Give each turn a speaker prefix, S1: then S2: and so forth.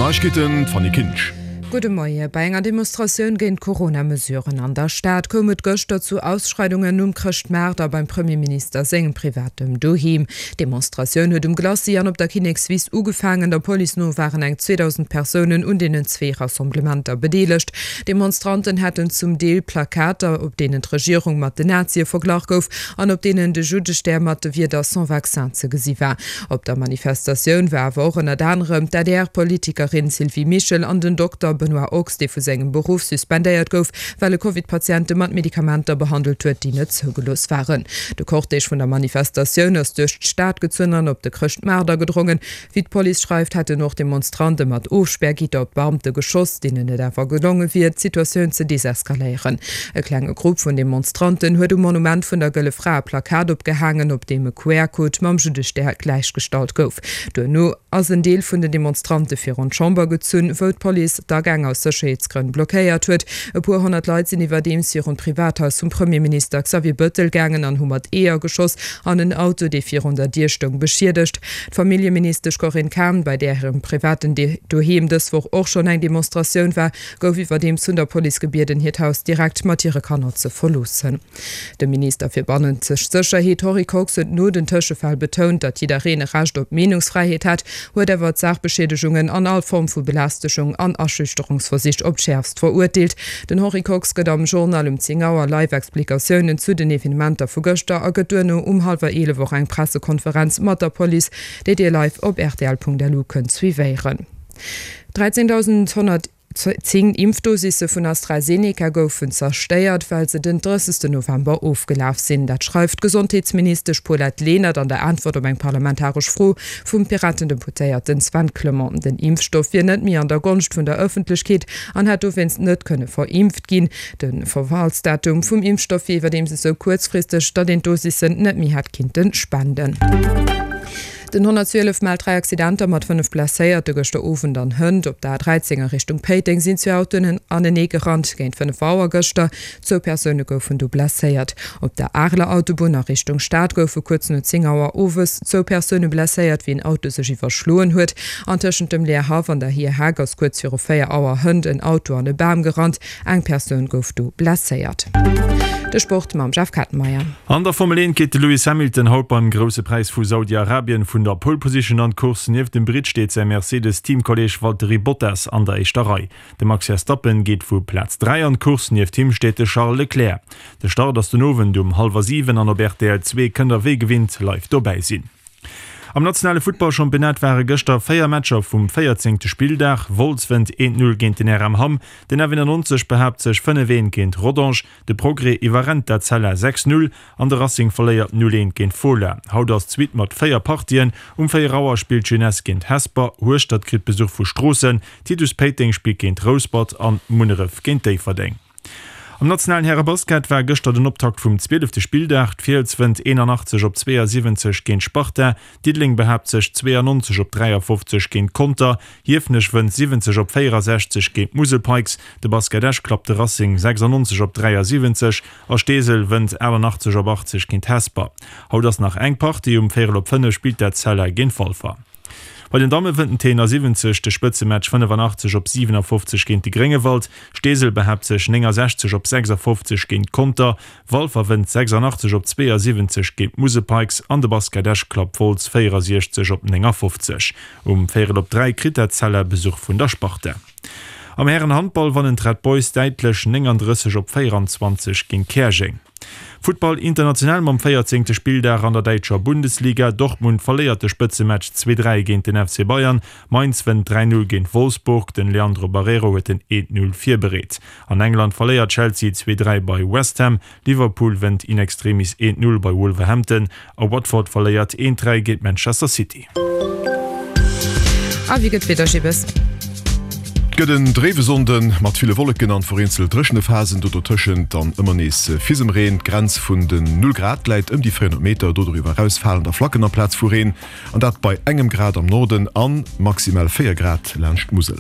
S1: Neiegkeeten, d'Fanny Kinsch.
S2: Gudde Moie. Bei enger Demonstratioun géint d'Corona-Mesuren an der Stad koum et gëschter zu Ausschreidungen um Chrëschtmaart a beim Premierminister sengem privatem Doheem. D'Demonstratioun huet um Glacis an op der Kinnekswiss ugefaangen. Der Police no waren eng 2.000 Persounen un deenen zwee Rassemblementer bedeelegt. D'Demonstranten hätten zum Deel Plakater, op deenen d'Regierung mat den Nazie verglach gouf an op deenen de Juddestär mat de Wierder Sans vaccin ze gesi war. Op der Manifestatioun war awer och ënnert anerem d'ADR-Politikerin Sylvie Mischel an den Dokter Benoît Ochs, dee vu sengem Beruff suspendéiert gouf, well e Covid-Patiente mat Medikamenter behandelt huet, déi net zougelooss waren. De Cortège vun der Manifestatioun ass duerch d'Stad gezunn an op de Chrëschtmaart agedrongen. Wéi d'Police schreift, hätten och Demonstrante mat Ofspärgitter op d'Beamte geschoss, deenen et awer gelonge wier, d'Situatioun ze deseskaléieren. E klenge Grupp vun Demonstranten huet um Monument vun der Gëlle Fra e Plakat opgehaangen, op deem e QR-Code mam Juddestär gläichgestallt gouf. Duerno ass en Deel vun den Demonstrante virun d'Chamber gezunn, wou d'Police d'Agäng aus Sécherheetsgrënn blockéiert huet. E puer 100 Leit sinn iwwerdeems virun d'Privathaus vum Premierminister Xavier Bëttel gaangen an hu mat Eeër geschoss an en Auto, dee virun der Dier stoung, beschiedegt. D'Familljeministesch Corinne Cahen, bei där hirem privaten Doheem dës Woch och schonn eng Demonstratioun war, gouf iwwerdeems vun der Police gebieden, hiert Haus direkt mat hire Kanner ze verloossen. De Minister fir bannenzeg Sécherheet Henri Kox huet no den Tëschefäll betount, datt jiddereen e Recht op Meenungsfräiheet hätt, huet awer d'Saachbeschiedegungen an all Form vu Belästegung an Aschüchterungsversich op d'Schäerfst verurteelt. Den Henri Kox gëtt am Journal um 10 Auer live Explikatiounen zu den Evenementer vu gëschter a gëtt duerno um hallwer 11 och eng Pressekonferenz mat der Police, déi Dir live op rtl.lu kënnt suivéieren. 13.110 Impfdosisse vun AstraZeneca goufen zerstéiert, well se den 30 November ofgelaf sinn. Dat schreift d'Gesondheetsministesch Paulette Lenert an der Äntwert op eng parlamentaresch Fro vum Piraten-Deputéierten Sven Clement. Den Impfstoff wier net méi an der Gonscht vun der Ëffentlechkeet an hätt dowéinst net kënne verimpft ginn. De Verfallsdatum vum Impfstoff wier iwwerdeems esou kuerzfristeg, datt een d'Dosissen net méi hätt kinnte spenden. Den 112 mellt 3 Accidenter mat 5 Blesséierte gëschter Owend an hënt. Op der A13 a Richtung Péiteng sinn zwee Autoen anenee gerannt géint 5 Auer gëschter. Zwou Persoune goufen do blesséiert. Op der Areler Autobunn a Richtung Stad goufe kuerz no 10 Auer owes zwou Persoune blesséiert, wéi en Auto sech iwwerschloen huet. An tëschent dem Leerhaff an der Hierheck ass kuerz viru 4 Auer hënt en Auto an e Bam gerannt. Eng Persoun gouf do blesséiert. De Sport mam Jeff Kettenmeyer.
S3: An der Formel 1 geet de Lewis Hamilton haut beim Grousse Präis vu Saudi-Arabien vun der Pole Position an d'Course. Nieft dem Britt steet säi Mercedes-Teamkolleeg Valtteri Bottas an der éischter Rei. De Max Verstappen geet vu Plaz 3 an d'Course, nieft him steet de Charles Leclerc. De Start ass den Owend um hallwer 7 an op rtl 2 kënnt der wéi gewinnt live dobäi sinn. Am nationale Futtballchampionnat ware gëschter 4 Matcher vum 14. Spilldag. Wolz wënnt 1, 0 géint den RM Hamm, den F91 behaapt sech 5, 1 géint Rodange, De Progrès iwwerrennt d'Etzella 6, 0 an de Racing verléiert 0, 1 géint Fola. Haut ass d'Suite mat 4 Partien. Um 4 Auer spillt d'Jeunesse géint Hesper, Hueschtert kritt Besuch vu Stroossen, Titus Péiteng spillt géint Rouspert an Munneref géint Déifferdeng. Am nationalen Härebasket war gëschter den Optakt vum zwielefte Spilldag. D'Fiels wënnt 81 op 72 géint Sparta, Diddeleng behaapt sech 92 op 53 géint Conter, Hiefenech wënnt 70 op 64 géint d'Musel Pikes, de Basket Esch klappt de Racing 96 op 73 a Steesel wënnt 88 op 80 géint Hesper. Haut ass nach eng Partie, um véierel op 5 spillt d'Etzella géint Walfer. Bei den Damme wënnt den TNA 70 de Spëtzematch 85 op 57 géint de Gréngewald, Steesel behaapt sech 69 op 56 géint Conter, Walfer wënnt 86 op 72 géint d'Musel Pikes an de Basket Esch klappt Wolz 64 op 59. Um véierel op 3 kritt d'Etzella Besuch vun der Sparta. Am Hären-Handball wannen d'Red Boys däitlech 39 op 24 géint Käerjeng. Futtball international mam 14. Spilldag an der däitscher Bundesliga. Dortmund verléiert de Spëtzematch 2, 3 géint den FC Bayern. Mainz wënnt 3, 0 géint Wolfsburg. Den Leandro Barreiro huet den 1, 0 virbereet. An England verléiert Chelsea 2, 3 bei West Ham. Liverpool wënnt in extremis 1, 0 bei Wolverhampton a Watford verléiert 1, 3 géint Manchester City.
S2: A wéi gëtt d'Wieder, Gibbes?
S1: Et gëtt en dréiwe Sonnde mat ville Wolleken an vereenzelt dréchene Phasen, do dotëschent dann ëmmer nees Fisemreen. D'Grenz vun den Null Grad läit ëm déi 400 Meter, do doriwwer eraus falen da Flacken amplaz vu Reen, an dat bei engem Grad am Norden a maximal 4 Grad laanscht d'Musel.